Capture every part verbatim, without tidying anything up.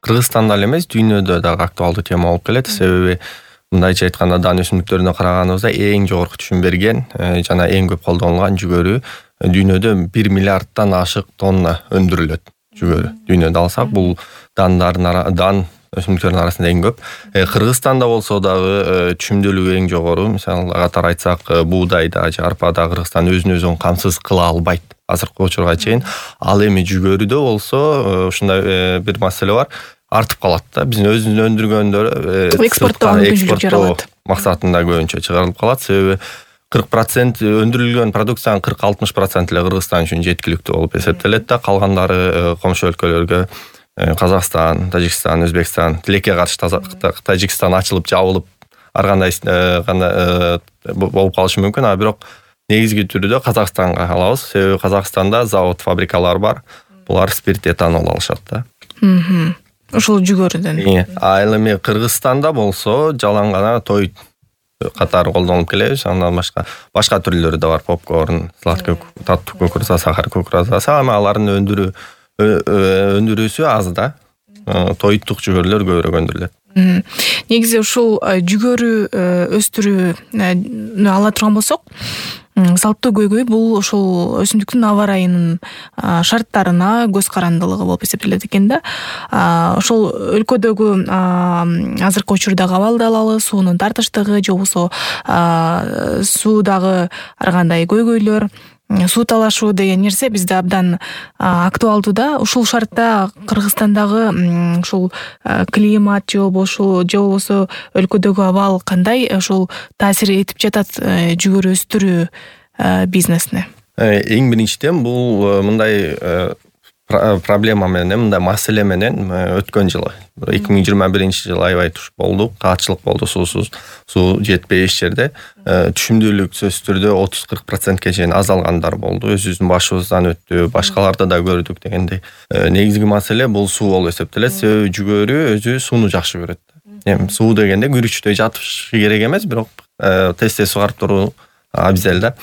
Кыргызстанда эле эмес, дүйнөдө дагы актуалдуу тема болуп келет. Себеби мындайча айтканда дан өсүмдүктөрүнө караганыбызда эң жогорку түшүм берген жана эң көп колдонулган жүгөрү дүйнөдө бир миллиарддан ашык тонна өндүрүлөт. Жүгөрү дүйнөдө алсак, бул дандардын дан өсүмдүктөрдүн арасында эң көп. Кыргызстанда болсо дагы түшүмдүүлүгү эң жогору. Мисалы катар айтсак, буудайда же арпада Кыргызстан өзүн өзү камсыз кыла албайт азыркы учурга чейин. Ал эми жүгөрүдө болсо ушундай бир маселе бар. Артып калат да. Биздин өзүбүз өндүргөндөр экспорттоо мүмкүнчүлүк жаралат. Максатында көбүнчө чыгарылып калат. Себеби кырк процент өндүрүлгөн продукциянын кырк алтымыш проценти эле Кыргызстан үчүн жеткиликтүү болуп эсептелет да. Калгандары комшу өлкөлөргө, Казакстан, Тажикстан, Өзбекстан, тилекке каршы Тажикстан ачылып жабылып ар кандай гана болуп калышы мүмкүн, а бирок негизги түрдө Казакстанга алабыз. Себеби Казакстанда завод, фабрикалар бар. Булар спирт, этанол алышат да. Ошол жүгөрүдөн. А эми Кыргызстанда болсо жалаң гана той катары колдонулуп келебиз. Андан башка башка түрлөрү да бар. Попкорн, сладкий, таттуу кукуруза, сахар кукурузасы, ама алардын өндүрүү өндүрүүсү аз да. Тоюттук жүгөрүлөр көбүрөөк өндүрүлөт. Негизи ушул жүгөрү өстүрүүнү ала турган болсок, салттуу көйгөй бул ошол өсүмдүктүн аба ырайынын шарттарына көз карандылыгы болуп эсептелет экен да. Ошол өлкөдөгү азыркы учурдагы абалды алалы, суунун тартыштыгы же болбосо суудагы ар кандай көйгөйлөр, суу талашуу деген нерсе бизде абдан актуалдуу да. Ушул шартта Кыргызстандагы ушул климат же болбосо же болбосо өлкөдөгү абал кандай ушул таасир этип жатат жүгөрү өстүрүү бизнесине? Эң биринчиден бул мындай проблема менен, мындай маселе менен өткөн жылы эки миң жыйырма биринчи жылы аябай туш болду, каатчылык болду, суусуз, суу жетпей эч жерде. Түшүмдүүлүк сөзсүз түрдө отуз кырк процентке чейин азалгандар болду. Өзүбүздүн башыбыздан өттү, башкаларды да көрдүк дегендей. Негизги маселе бул суу болуп эсептелет. Себеби жүгөрү өзү сууну жакшы көрөт. Эми суу дегенде күрүчтөй жатышы керек эмес, бирок тез-тез сугарып туруу абзел да.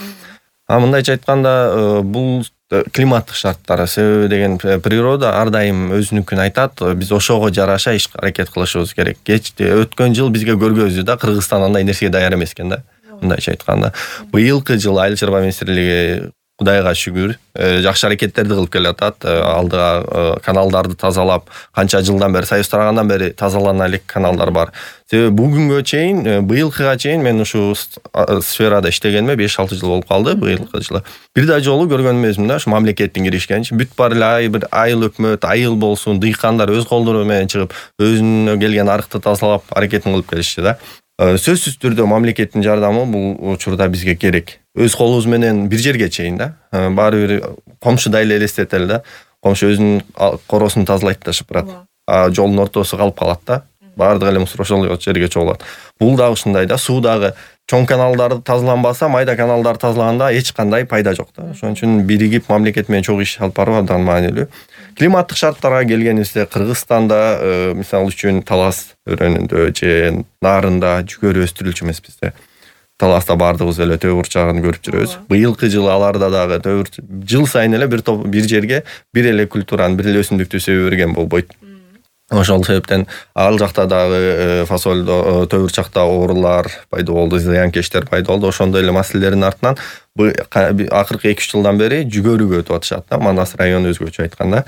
А мындайча айтканда, бул климаттык шарттары. Себеби деген природа ар дайым өзүнүкүн айтат. Биз ошого жараша иш аракет кылышыбыз керек. Өткөн жыл бизге көргөздү да, Кыргызстан андай нерсеге даяр эмес экен да. Мындайча айтканда, быйылкы жыл Айыл чарба министрлиги Кудайга шүгүр жакшы аракеттерди кылып келатат. Алдыга каналдарды тазалап, канча жылдан бери, Союз тарагандан бери тазалана элек каналдар бар. Себеби бүгүнгө чейин, быйылкыга чейин мен ушу сферада иштегениме беш алты жыл болуп калды, быйылкы жылы. Бир да жолу көргөн эмесмин да, ушу мамлекеттин киришкенин. Бүт бар эле бир айыл өкмөт, айыл болсун, дыйкандар өз колдору менен чыгып, өзүнө келген арыкты тазалап, аракетин кылып келишти да. Сөзсүз түрдө мамлекеттин жардамы бул учурда бизге керек. Өз колубуз менен бир жерге чейин да. Баары бир комшудай эле элестетели да. Комшу өзүнүн коросун тазалайт да, шыпырат. А жолдун ортосу калып калат да. Баардык эле мусор ошол жерге чогулат. Бул дагы ушундай да. Суу дагы чоң каналдар тазаланбаса, майда каналдар тазалаганда эч кандай пайда жок да. Ошон үчүн биригип мамлекет менен чогуу иш алып баруу абдан маанилүү. Климаттык шарттарга келгенибизде, Кыргызстанда мисалы үчүн Талас өрөөнүндө же Нарында жүгөрү өстүрүлчү эмес бизде. Таласта баардыгыбыз эле төө бурчагын көрүп жүрөбүз. Быйылкы жылы аларда дагы төө жыл сайын эле бир топ бир жерге бир эле культураны, бир эле өсүмдүктү себе берген болбойт. Ошол себептен ал жакта дагы фасолдо, төө бурчакта оорулар пайда болду, зыянкечтер пайда болду. Ошондой эле маселелердин артынан акыркы эки үч жылдан бери жүгөрүгө өтүп атышат да. Манас району өзгөчө айтканда.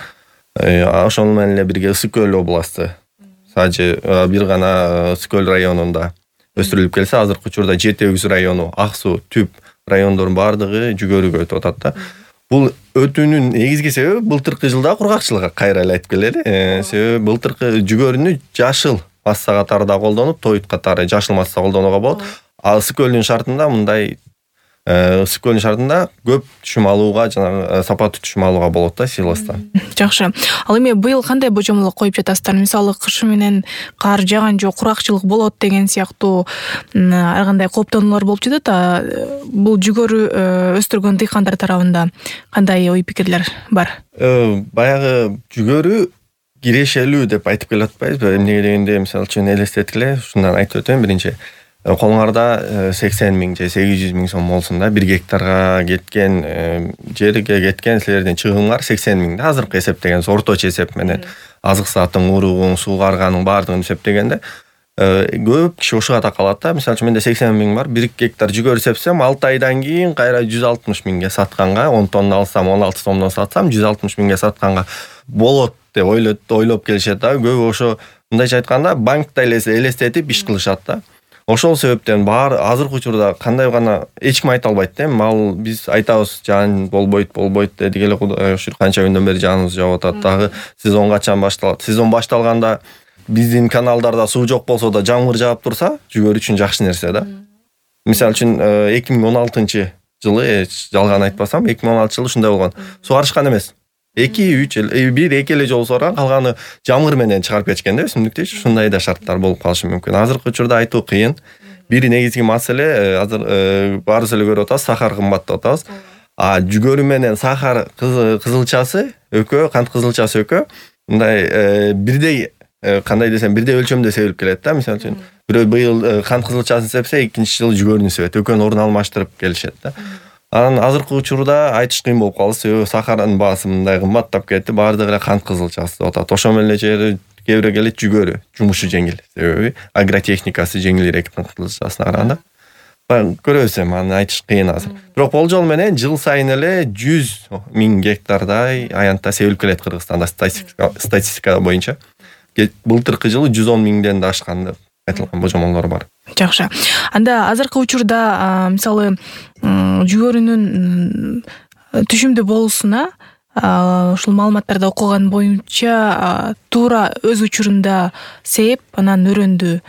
Ошол менен эле бирге Ысык көл областы. Сажы бир гана Ысык көл районунда өстүрүлүп келсе, азыркы учурда Жети Өгүз району, Ак Суу, Түп райондордун баардыгы жүгөрүгө өтүп атат да. Бул өтүүнүн негизги себеби былтыркы жылда кургакчылыкка кайра эле айтып келели. Себеби былтыркы жүгөрүнү жашыл масса катары да колдонуп, тоют катары жашыл масса колдонууга болот. А Ысык көлдүн шартында мындай Ысык көлдүн шартында көп түшүм алууга, жана сапаттуу түшүм алууга болот да силостан. Жакшы. Ал эми быйыл кандай божомолдо коюп жатасыздар? Мисалы, кышы менен кар жаган жок, куракчылык болот деген сыяктуу ар кандай кооптонуулар болуп жатат. Бул жүгөрү өстүргөн дыйкандар тарабында кандай ой пикирлер бар? Баягы жүгөрү кирешелүү деп айтып келе атпайбызбы? Эмне дегенде, мисалы үчүн элестеткиле, ушундан айтып өтөйүн. Биринчи, колуңарда сексен миң же сегиз жүз миң сом болсун да, бир гектарга кеткен жерге кеткен силердин чыгымыңар сексен миң да, азыркы эсептегенде орточо эсеп менен азык саатың, уругуң, суугарганын баардыгын эсептегенде көп киши ушуга такалат да. Мисалы үчүн менде сексен миң бар, бир гектар жүгөрү сепсем алты айдан кийин кайра жүз алтымыш миңге сатканга, он тонна алсам, он алты сомдон сатсам жүз алтымыш миңге сатканга болот деп ойлоп ойлоп келишет да. Көп ошо мындайча айтканда банкта элестетип иш кылышат да. Ошол себептен баары азыркы учурда кандай гана эч ким айта албайт да. Ал биз айтабыз жаан болбойт, болбойт дедик эле, Кудай ушур канча күндөн бери жааныбыз жаап атат. Дагы сезон качан башталат? Сезон башталганда биздин каналдарда суу жок болсо да жамгыр жаап турса, жүгөрү үчүн жакшы нерсе да. Мисалы үчүн эки миң он алтынчы жылы, жалган айтпасам, эки миң он алтынчы жылы ушундай болгон. Сугарышкан эмес. эки үч бир эки эле жолу сугарган, калганы жамгыр менен чыгарып кетишкен да өсүмдүктү. Ушундай да шарттар болуп калышы мүмкүн. Азыркы учурда айтуу кыйын. Бир негизги маселе, азыр баарыбыз эле көрүп атабыз, сахар кымбат деп атабыз. А жүгөрү менен сахар кызылчасы экөө, кант кызылчасы экөө мындай бирдей, кандай десем, бирдей өлчөмдө себилип келет да. Мисалы үчүн бирөө быйыл кант кызылчасын сепсе, экинчи жылы жүгөрүнү себет. Экөөнү орун алмаштырып келишет да. Анан азыркы учурда айтыш кыйын болуп калды, себеби сахардын баасы мындай кымбаттап кетти, баардыгы эле кант кызылчасы деп атат. Ошо менен эле жери кээ бирөө келет жүгөрү, жумушу жеңил, себеби агротехникасы жеңилирээк кант кызылчасына караганда. Көрөбүз эми, аны айтыш кыйын азыр. Бирок болжол менен жыл сайын эле жүз миң гектардай аянтта себилип келет Кыргызстанда статистика боюнча. Былтыркы жылы жүз он миңден да ашкан деп айтылган божомолдор бар. Жакшы. Анда азыркы учурда мисалы жүгөрүнүн түшүмдүү болуусуна ушул маалыматтарды окуган боюнча туура өз учурунда сээп, анан өрөндү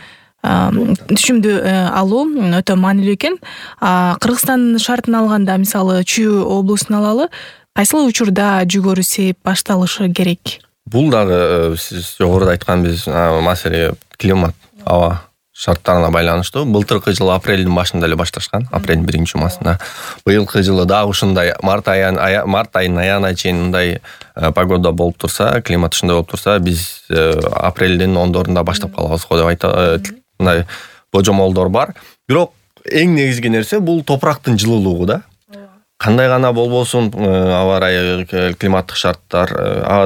түшүмдүү алуу өтө маанилүү экен. Кыргызстандын шартын алганда, мисалы Чүй облусун алалы, кайсыл учурда жүгөрү сээп башталышы керек? Бул дагы сиз жогоруда айткан биз маселе климат, аба шарттарына байланыштуу. Былтыркы жылы апрелдин башында эле башташкан, апрелдин биринчи жумасында. Быйылкы жылы дагы ушундай март айын март айынын аягына чейин мындай погода болуп турса, климат ушундай болуп турса, биз апрелдин ондорунда баштап калабыз го деп айтат. Мындай божомолдор бар. Бирок эң негизги нерсе бул топурактын жылуулугу да. Кандай гана болбосун аба ырайы, климаттык шарттар,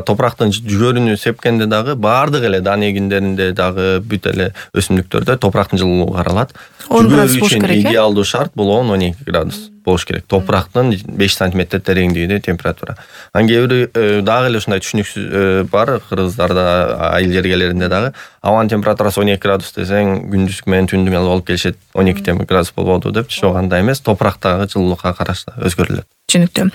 топурактын жүгөрүнү сепкенде дагы баардык эле дан эгиндеринде дагы бүт эле өсүмдүктөрдө топурактын жылуулугу каралат. он градус болуш керек. Идеалдуу шарт бул он он эки градус болуш керек. Топурактын беш сантиметр тереңдигинде температура. Анан кээ бир дагы эле ушундай түшүнүксүз бар кыргыздарда, айыл жергелеринде дагы абанын температурасы он эки градус десең, күндүзгү менен түндүн алып алып келишет он эки градус болбоду деп. Жок, андай эмес, топурактагы жылуулукка карашы өзгөрүлөт. Түшүнүктүү.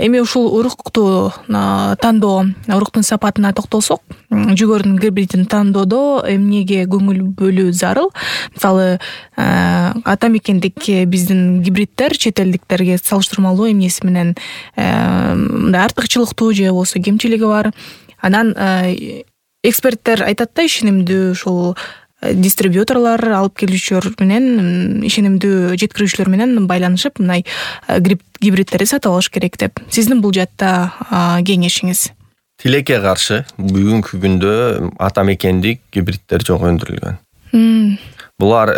Эми ушул урукту тандоо, уруктун сапатына токтолсок, жүгөрүнүн гибридин тандоодо эмнеге көңүл бөлүү зарыл? Мисалы, ата мекендик биздин гибридтер чет элдиктерге салыштырмалуу эмнеси менен мындай артыкчылыктуу же болбосо кемчилиги бар? Анан эксперттер айтат да, ишенимдүү ушул дистрибьюторлор, алып келүүчүлөр менен, ишенимдүү жеткирүүчүлөр менен байланышып, мындай гибридтерди сатып алыш керек деп. Сиздин бул жакта кеңешиңиз? Тилекке каршы бүгүнкү күндө ата мекендик гибридтер жок өндүрүлгөн. Булар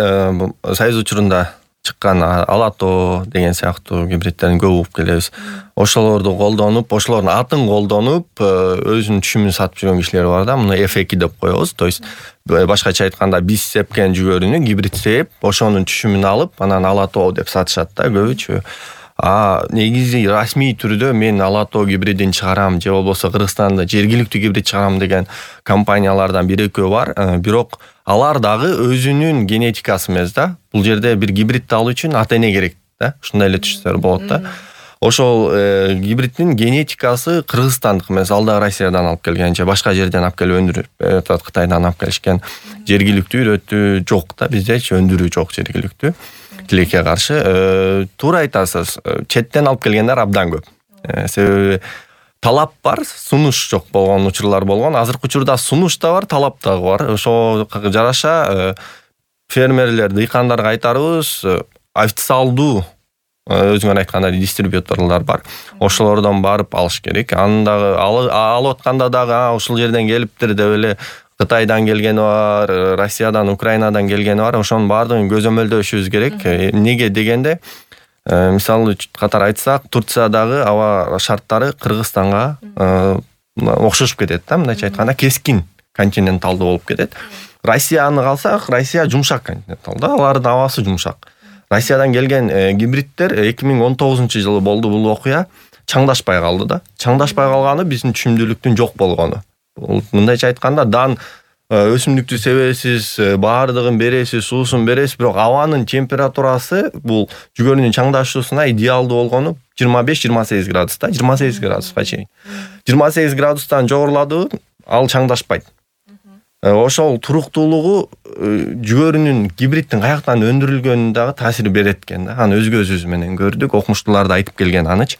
Союз учурунда чыккан Алато деген сыяктуу гибридтердин көп угуп келебиз. Ошолорду колдонуп, ошолордун атын колдонуп, өзүнүн түшүмүн сатып жүргөн кишилер бар да. Муну эф эки деп коебуз. То есть башкача айтканда биз сепкен жүгөрүнү гибрид сеп, ошонун түшүмүн алып, анан Алато деп сатышат да көбүчө. А негизи расмий түрдө мен Алато гибридин чыгарам же болбосо Кыргызстанда жергиликтүү гибрид чыгарам деген компаниялардан бир экөө бар. Бирок алар дагы өзүнүн генетикасы эмес да. Бул жерде бир гибридти алуу үчүн ата эне керек да. Ушундай эле түшүнсөөр болот да. Ошол гибридтин генетикасы кыргызстандык эмес, ал да Россиядан алып келген же башка жерден алып келип өндүрүп, Кытайдан алып келишкен. Жергиликтүү үйрөтүү жок да, биздечи өндүрүү жок жергиликтүү. Тилекке каршы туура айтасыз, четтен алып келгендер абдан көп. Себеби талап бар, сунуш жок болгон учурлар болгон. Азыркы учурда сунуш да бар, талап да бар. Ошо жараша фермерлер, дыйкандарга айтарыбыз, официалдуу өзүңөр айткандай дистрибьюторлор бар. Ошолордон барып алыш керек. Аны дагы алып атканда дагы ушул жерден келиптир деп эле Кытайдан келгени бар, Россиядан, Украинадан келгени бар. Ошонун баардыгын көзөмөлдөшүбүз керек. Эмнеге дегенде, мисалы катары айтсак, Турциядагы аба шарттары Кыргызстанга окшошуп кетет да, мындайча айтканда кескин континенталдуу болуп кетет. Россияны калсак, Россия жумшак континентал да, алардын абасы жумшак. Россиядан келген гибридтер эки миң он тогузунчу жылы болду бул окуя, чаңдашпай калды да. Чаңдашпай калганы биздин түшүмдүүлүктүн жок болгону. Бул мындайча айтканда дан өсүмдүктү себесиз, баардыгын бересиз, суусун бересиз, бирок абанын температурасы бул жүгөрүнүн чаңдашуусуна идеалдуу болгону жыйырма беш жыйырма сегиз градуста, жыйырма сегиз градуска чейин. жыйырма сегиз градустан жогоруладыбы, ал чаңдашпайт. Ошол туруктуулугу жүгөрүнүн гибриддин каяктан өндүрүлгөнүнө дагы таасир берет экен да. Аны өз көзүбүз менен көрдүк, окумуштуулар да айтып келген аныч.